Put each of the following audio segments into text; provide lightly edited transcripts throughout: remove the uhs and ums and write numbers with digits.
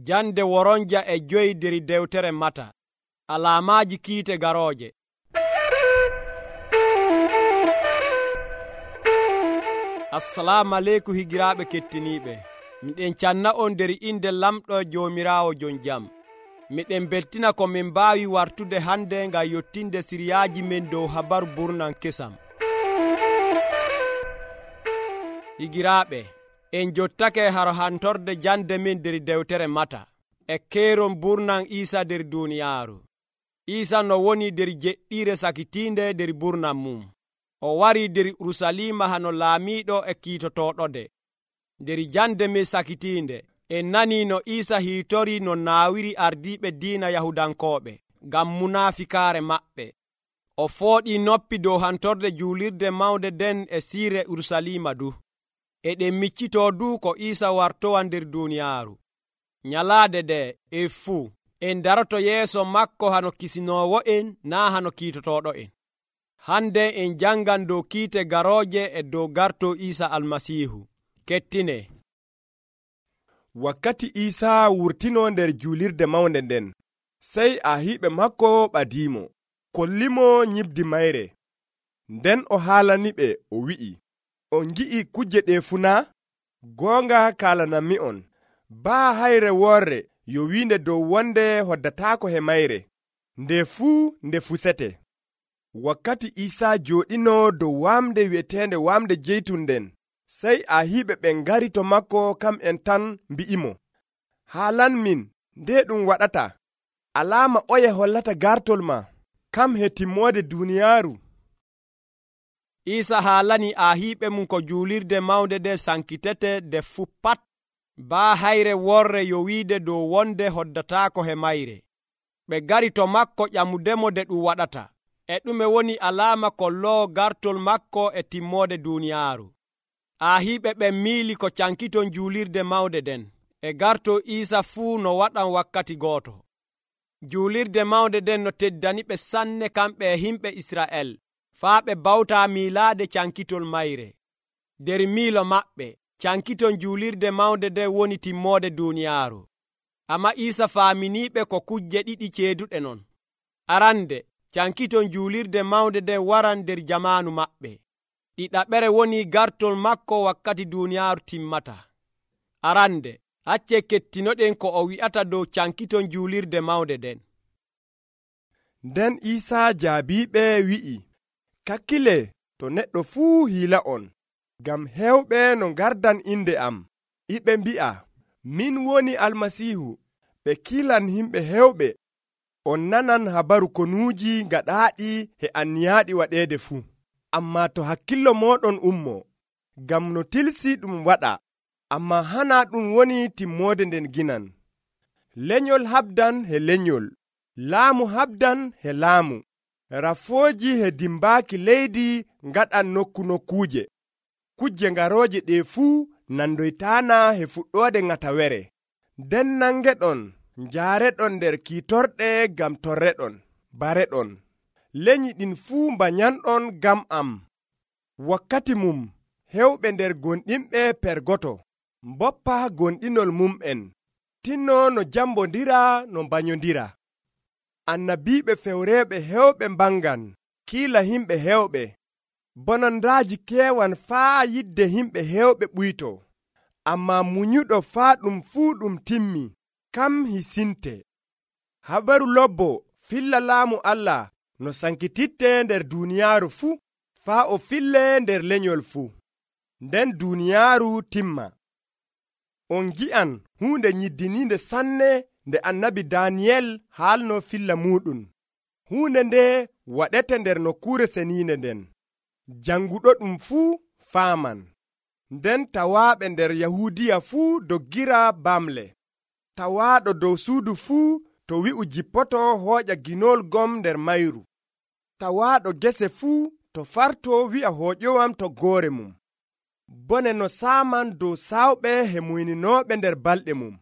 Jande woronja e 5 der dewtere Mata. Alaamaaji kiite garooje. Assalamu aleykum higiraaɓe kettiniiɓe. Miɗen canna on nder inde lamɗo Joomiraawo jon jam. Miɗen beltina ko min mbaawi wartude hande ngam yottinde siriyaaji men dow habaru burnan kesam. Higiraaɓe, en jottake haro hantorde jande men der dewtere Mata e keeron burnan Iisa der duniyaaru. Iisa no woni der jeɗɗiire sakitiinde der burnan mum. O wari der Urusalima hano laamiiɗo e kiitotoɗode. Der jande men sakitiinde en nani no Iisa hiitori no naawiri ardiiɓe diina Yahudankooɓe ngam munafikaare maɓɓe. O fooɗi noppi dow hantorde juulirde mawnde den e siire Urusalima du. Eɗen miccitoo du ko Iisa wartowa nder duniyaaru. Nyalaade de e fuu en daroto yeeso makko hano kisinoowo en naa hano kiitotoɗo en. Hande en jangan dow kiite garooje e dow garto Iisa Almasiihu. Kettine. Wakkati Iisa wurtino nder juulirde mawnde nden, sey ahiiɓe makko ɓadiimo, kollimo nyibdi mayre. Nden o haalaniɓe o wi'i, on ngi'i kuje ɗe funaa? Goonga kaalanammi'on, baa hayre worre yo wiinde dow wonde hoddataako he mayre, nde fusete. Wakkati Iisa jooɗino dow waamde wi'eteende waamde jeytun nden, sey ahiiɓe ɓen ngari to makko kam'en tan mbi'imo, haalanmin nde ɗum waɗata, alaama oye hollata gartol ma, kam he timmoode duniyaaru. Iisa haalani ahiiɓe mum ko juulirde mawnde nde sankitete nde fuu pat, baa hayre worre yo wiide dow wonde hoddataako he mayre. Ɓe gari to makko ƴamudemo nde ɗum waɗata, e ɗume woni alaama kolloowo gartol makko e timmoode duniyaaru. Ahiiɓe ɓen miili ko cankiton juulirde mawnde nden e garto Iisa fuu no waɗan wakkati gooto. Juulirde mawnde nden no teddaniɓe sanne kamɓe e himɓe Isra'el, faa ɓe bawtaa miilaade cankitol mayre. Der miilo maɓɓe, cankiton juulirde mawnde nden woni timmoode duniyaaru. Amma Iisa faaminiiɓe ko kujje ɗiɗi ceeduɗe non. Arande, cankiton juulirde mawnde nden waran der jamaanu maɓɓe. Ɗiɗaɓere woni gartol makko wakkati duniyaaru timmata. Arande, acce kettinoɗen ko o wi'ata dow cankiton juulirde mawnde nden. Nden Iisa jaabiiɓe wi'i, kakkile to neɗɗo fuu hiila on, ngam heewɓe no ngardan inde am, iɓe mbi'a, min woni Almasiihu, ɓe kiilan himɓe heewɓe. On nanan habaru konuuji gaɗaaɗi he anniyaaɗi waɗeede fuu. Ammaa to hakkillo mooɗon ummo, ngam no tilsi ɗum waɗa, ammaa hana ɗum woni timmoode nden ginan. Lenyol habdan he lenyol, laamu habdan he laamu, rafooji he dimbaaki leydi ngaɗan nokkuuje. Kujje ngarooje ɗe fuu nandoytaana he fuɗɗoode ŋatawere. Nden nangeɗon, njaareɗon nder kiitorɗe ngam torreɗon, bareɗon. Lenyi ɗin fuu mbanyanɗon ngam am. Wakkati mum, hewɓe nder gonɗinɓe pergoto, mboppa gonɗinol mum'en, tinno no jambondira no mbanyondira. Annabiiɓe fewreeɓe hewɓe mbangan, kiila himɓe hewɓe. Bonondaaji keewan faa yidde himɓe hewɓe ɓuyto. Ammaa munyuɗo faa ɗum fuu ɗum timmi, kam hisinte. Habaru lobbo filla laamu Allah no sankititte nder duniyaaru fuu, faa o fille nder lenyol fuu. Nden duniyaaru timma. On ngi'an huunde nyiddiniinde sanne nde annabi Daniyel haalno filla muuɗum. Huunde nde waɗete nder nokkuure seniinde nden. Janguɗo ɗum fuu faaman. Nden tawaaɓe nder Yahuudiya fuu doggira bamle. Tawaaɗo dow suudu fuu to wi'u jippoto hooƴa ginol gom nder mayru. Tawaaɗo gese fuu to farto wi'a hooƴowam toggoore mum. Bone no saaman dow sawɓe he muyninooɓe nder balɗe mum.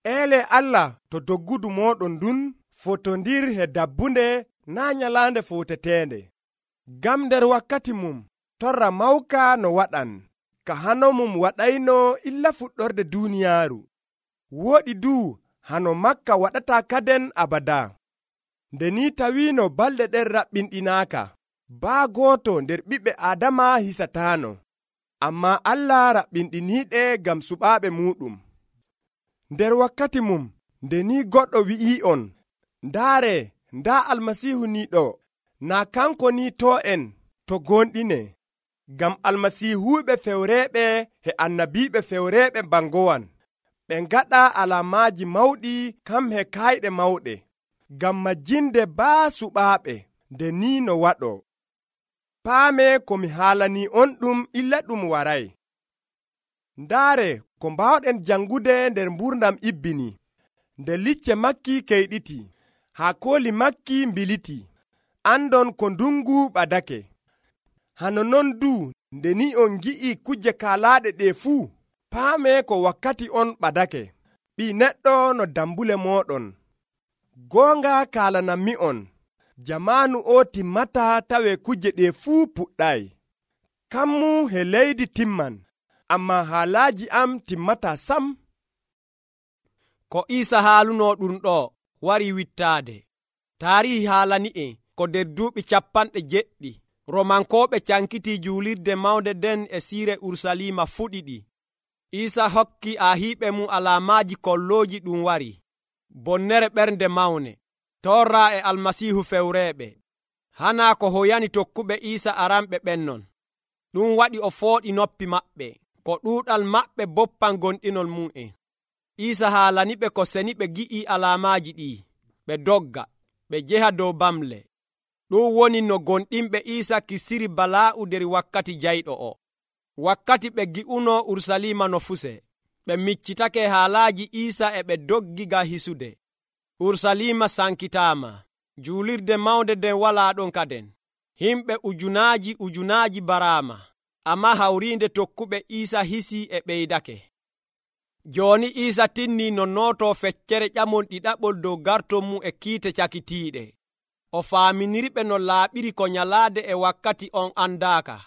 Eele Allah to doggudu mooɗon ndun fotondir he dabbunde naa nyalaande fowteteende. Gam nder wakkati mum torra mawka no waɗan, ka hano mum waɗayno illa fuɗɗorde duniyaaru. woɗi du hano makka waɗata kaden abada. Nde ni tawino balɗe ɗen raɓɓinɗinaaka, baa gooto nder ɓiɓɓe Aadama hisataano, amma Allah raɓɓinɗiniiɗe ngam suɓaaɓe muuɗum. Nder wakkati mum, nde ni goɗɗo wi'i'on, ndaare, ndaa Almasiihu ni ɗo, naa kanko ni to en to gonɗine, ngam almasiihuuɓe fewreeɓe e annabiiɓe fewreeɓe bangowan, ɓe ngaɗa alaamaaji mawɗi kam he kayɗe mawɗe, ngam majjinde baa suɓaaɓe, nde ni no waɗo. Paame ko mi haalanii on ɗum illa ɗum waray. Ndaare ko mbawɗen jangude nder mburdam ibbini, nde licce makki keyɗiti, haa kooli makki mbiliti, andon ko ndungu ɓadake. Hano non du nde ni on ngi'i kujje kaalaaɗe ɗe fuu, paame ko wakkati on ɓadake. Ɓii neɗɗo no dambule mooɗon. Goonga kaalanammi on, jamaanu o timmata tawe kujje ɗe fuu puɗɗay. Kammu he leydi timman, amma haalaaji am timmata sam. Ko Iisa haaluno ɗum ɗo wari wittaade. Taarihi haalani'e ko nder duuɓi 70 Romankooɓe cankiti juulirde mawnde den e siire Urusalima fuɗiɗi. Iisa hokki ahiiɓe mum alaamaaji kollooji ɗum wari, bonnere ɓernde mawne, torra e almasiihu fewreeɓe. Hana ko hoyani tokkuɓe Iisa aranɓe ɓennon. Ɗum waɗi o fooɗi noppi maɓɓe, ko ɗuuɗal maɓɓe boppan gonɗinol mum'en. Iisa haalaniɓe ko seni ɓe gi'i alaamaaji ɗi, ɓe dogga, ɓe jeha dow bamle. Ɗum woni no gonɗinɓe Iisa kisiri balaa'u nder wakkati jayɗo o. Wakkati ɓe gi'uno Urusalima no fuse, ɓe miccitake haalaaji Iisa e ɓe doggi ga hisude. Urusalima sankitaama, juulirde mawnde den walaa ɗon kaden. Himɓe ujunaaji baraama, amma hawriinde tokkuɓe Iisa hisi e ɓeydake. Jooni Iisa tinni no nooto feccere ƴamol ɗiɗaɓol dow garton mum e kiite cakitiiɗe. O faaminiriɓe no laaɓiri ko nyalaade e wakkati on andaaka.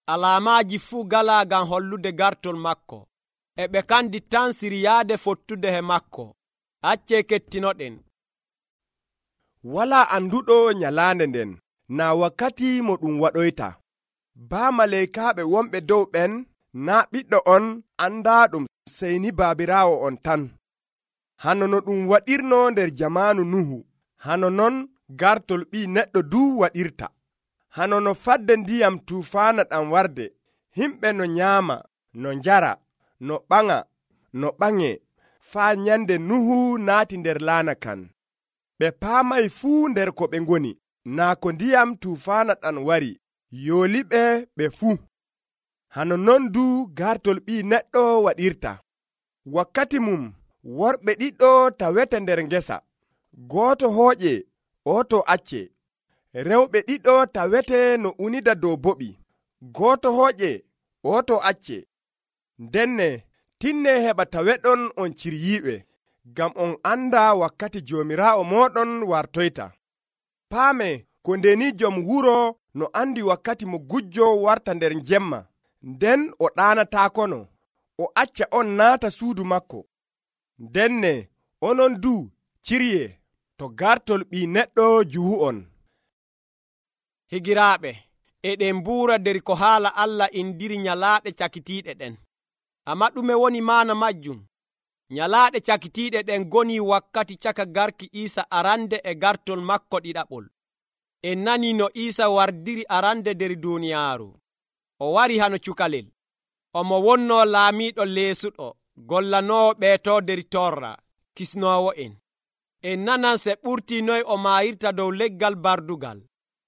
Alaamaaji fuu galaa ngam hollude gartol makko. E ɓe kandi tan siryaade fottude he makko. Accee kettinoɗen. Walaa anduɗo nyalaande nden, naa wakkati mo ɗum waɗoyta. Baa maleykaaɓe wonɓe dow ɓen, naa ɓiɗɗo on andaaɗum sey ni baabiraawo on tan. Hano no ɗum waɗirno nder jamaanu Nuhu, hano non gartol ɓii neɗɗo du waɗirta. Hano no fadde ndiyam tuufaana ɗam warde, himɓe no nyaama, no njara, no ɓaŋa, no ɓaŋe, faa nyande Nuhu naati nder laana kan. Ɓe paamay fuu nder ko ɓe ngoni, naa ko ndiyam tuufaana ɗam wari, yooliɓe ɓe fuu. Hano non du gartol ɓii neɗɗo waɗirta. Wakkati mum, worɓe ɗiɗo tawete nder ngesa, gooto hooƴe, oto acce. Rewɓe ɗiɗo tawete no unida dow boɓi, gooto hooƴe, oto acce. Ndenne tinne heɓa taweɗon on ciryiiɓe, ngam on anda wakkati joomiraawo mooɗon wartoyta. Paame ko ndeni jom wuro no andi wakkati mo gujjo warta nder jemma, nden o ɗaanataakono, o acca on naata suudu makko. Ndenne onon du cirye to gartol ɓii neɗɗo juhu'on. Higiraaɓe, eɗen mbuura nder ko haala Allah indiri nyalaaɗe cakitiiɗe ɗen. Amma ɗume woni maana majjum? Nyalaaɗe cakitiiɗe ɗen goni wakkati caka garki Iisa arande e gartol makko ɗiɗaɓol. En nani no Iisa wardiri arande nder duuniyaaru. O wari hano cukalel. Omo wonno laamiiɗo leesuɗo, gollanoowo ɓeeto nder torra, kisnoowo en. En nanan se ɓurti noy o maayirta dow leggal bardugal.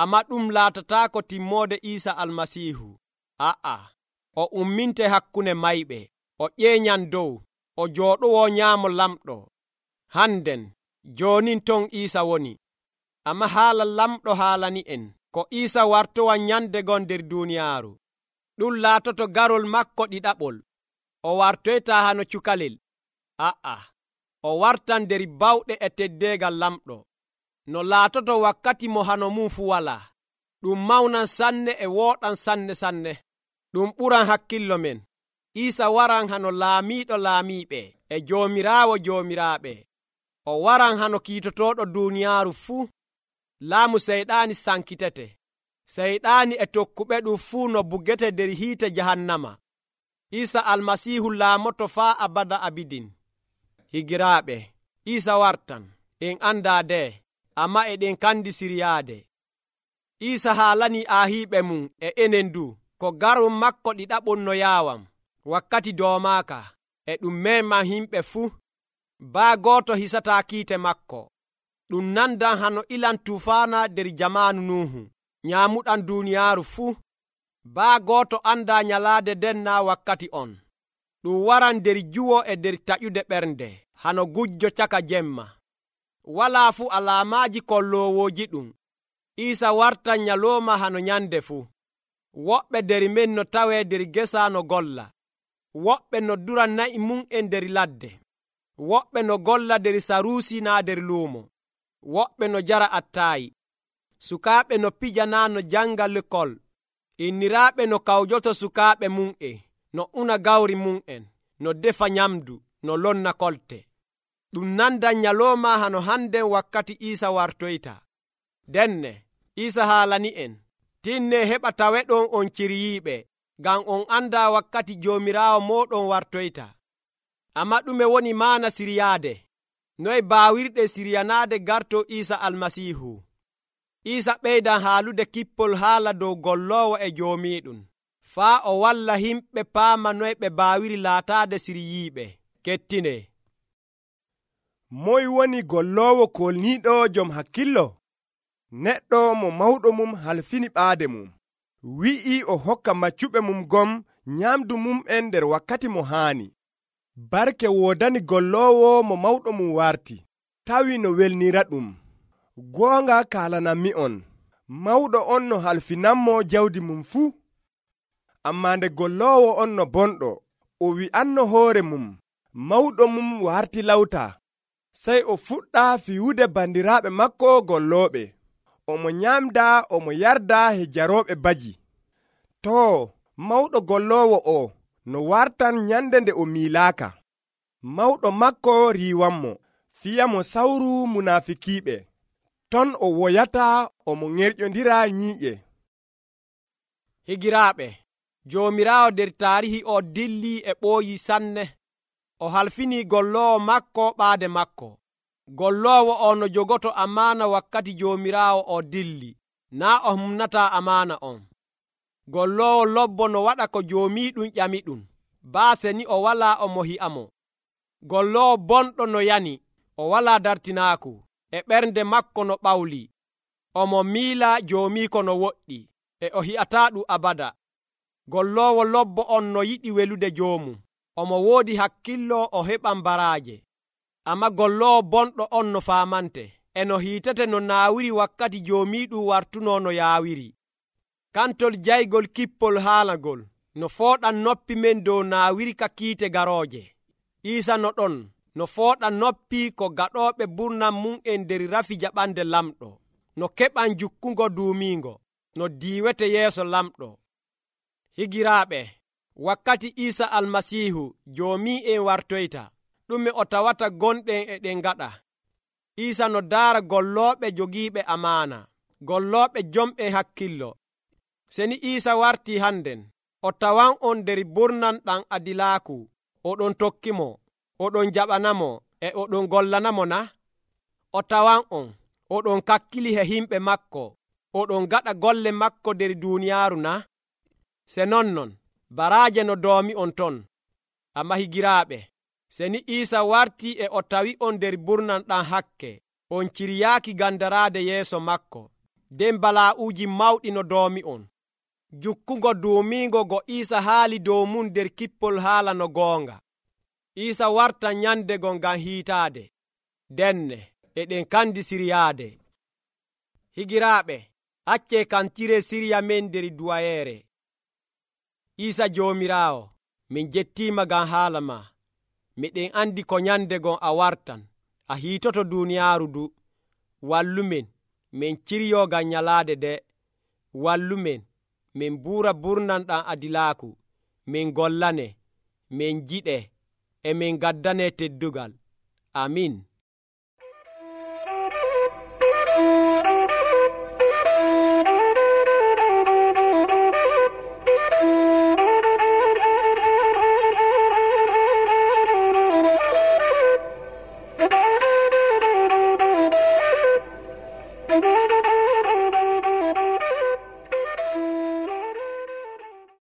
Amma ɗum laatataako timmoode Iisa Almasiihu. A'a, o umminte hakkunde mayɓe, o ƴeeñan dow, o jooɗowo nyaamo lamɗo. Hannden, joonin ton Iisa woni. Amma haala lamɗo haalani en, ko Iisa wartowa nyande gon nder duuniyaaru. Ɗum laatoto garol makko ɗiɗaɓol. O wartoyta hano cukalel. A'a, o wartan nder bawɗe e teddeegal lamɗo. No laatoto wakkati mo hano mum fu walaa. Ɗum mawnan sanne e wooɗan sanne. Ɗum ɓuran hakkillo men. Iisa waran hano laamiiɗo laamiiɓe, e Joomiraawo joomiraaɓe. O waran hano kiitotoɗo duniyaaru fuu. Laamu seyɗaani sankitete. Seyɗaani e tokkuɓe ɗum fuu no bugete nder hiite jahannama. Iisa almasiihu laamoto faa abada abidin. Higiraaɓe, Iisa wartan. En andaa de, amma eɗen kandi siryaade. Iisa haalanii aahiiɓe mum e enen du ko garum makko ɗiɗaɓum no yaawam wakkati doomaaka e ɗum meeman himɓe fuu. Baa gooto hisataa kiite makko. Ɗum nandan hano ilan tuufaana nder jamaanu Nuuhu nyaamuɗan duuniyaaru fuu. Baa gooto andaa nyalaade den naa wakkati on. Ɗum waran nder juwo e nder taƴude ɓernde hano gujjo caka jemma. Walaa fuu alaamaaji kolloowooji ɗum. Iisa wartan nyalooma hano nyande fuu. Woɓɓe nder men no tawee nder gesa no golla. Woɓɓe no dura na'i mum e nder ladde. Woɓɓe no golla nder saruusi naa nder luumo. Woɓɓe no jara attaayi. Sukaaɓe no pija naa no janga lekol. Inniraaɓe no kawjoto sukaaɓe mum'en, no una gawri mum'en, no defa nyamdu, no lonna kolte. Ɗum nandan nyalooma hano hannden wakkati Iisa wartoyta. Denne, Iisa haalani'en, tinne heɓa taweɗon on ciryiiɓe, ngam on andaa wakkati Joomiraawo mooɗon wartoyta. Amma ɗume woni maana siryaade? Noye baawirɗe siryanaade garto Iisa almasiihu? Iisa ɓeydan haalude kippol haala dow golloowo e joomiiɗum, faa o walla himɓe paama noye ɓe baawiri laataade siryiiɓe. Kettine. Moy woni golloowo kolniiɗo jom hakkillo? Neɗɗo mo mawɗo mum halfini ɓaade mum, wi'i o hokka maccuɓe mum gom nyamdu mum'en nder wakkati mo haani. Barke woodani golloowo mo mawɗo mum warti, tawi no welnira ɗum. Goonga kaalanammi'on, mawɗo on no halfinanmo jawdi mum fuu. Ammaa nde golloowo on no bonɗo, o wi'anno hoore mum, mawɗo mum warti lawta. Sey o fuɗɗa fiyude bandiraaɓe makko gollooɓe. Omo nyamda, omo yarda he jarooɓe baji. Too, mawɗo golloowo o no wartan nyande nde o miilaaka. Mawɗo makko riiwanmo, fiyamo sawru munaafikiiɓe. Ton o woyata omo ŋerƴondira nyiiƴe. Higiraaɓe, Joomiraawo nder taarihi o dillii e ɓooyi sanne. O halfinii golloowo makko ɓaade makko. Golloowo o no jogoto amaana wakkati Joomiraawo o dilli, naa o humnataa amaana on. Golloowo lobbo no waɗa ko joomiiɗum ƴamiɗum, baase ni o walaa omo hi'amo. Golloowo bonɗo no yani, o walaa dartinaaku, e ɓernde makko no ɓawli. Omo miila joomiiko no woɗɗi, e o hi'ataa ɗum abada. Golloowo lobbo on no yiɗi welude joomum, omo woodi hakkillo o heɓan baraaje. Amma golloowo bonɗo on no faamante, e no hiitete no naawiri wakkati joomiiɗum wartunoo no yaawiri. Kantol jaygol kippol haalagol no fooɗan noppi men dow naawiri ka kiite garooje. Iisa no ɗon no fooɗa noppi ko gaɗooɓe burnan mum en nder rafi jaɓande lamɗo, no keɓan jukkungo duumiingo, no diiwete yeeso lamɗo. Higiraaɓe, wakkati Iisa almasiihu joomi'en wartoyta, ɗume o tawata gonɗen e ɗen gaɗa? Iisa no daara gollooɓe jogiiɓe amaana, gollooɓe jomɓen hakkillo. Seni Iisa wartii hannden, o tawan on nder burnan ɗam adilaaku, oɗon tokkimo, oɗon jaɓanamo, e oɗon gollanamo na? O tawan on, oɗon kakkili he himɓe makko, oɗon gaɗa golle makko nder duuniyaaru na? Se nonnon, baraaje no doomi on ton. Amma higiraaɓe, seni Iisa wartii e o tawi on nder burnan ɗam hakke, on ciryaaki gandaraade yeeso makko, nden balaa'uuji mawɗi no doomi on. Jukkungo duumiingo go Iisa haali dow mum nder kippol haala no goonga. Iisa warta nyandego ngam hiitaade. Denne, eɗen kandi siryaade. Higiraaɓe, accee kantire sirya men nder duwayeere. Iisa Joomiraawo, min jettiima ngam haala ma. Miɗen andi ko nyandegon a wartan, a hiitoto duuniyaaru du. Wallumen, min ciryo ngam nyalaade de. Wallumen, min buura burnanɗam adilaaku, min gollane, min jiɗe, emin gaddane teddugal. Amin.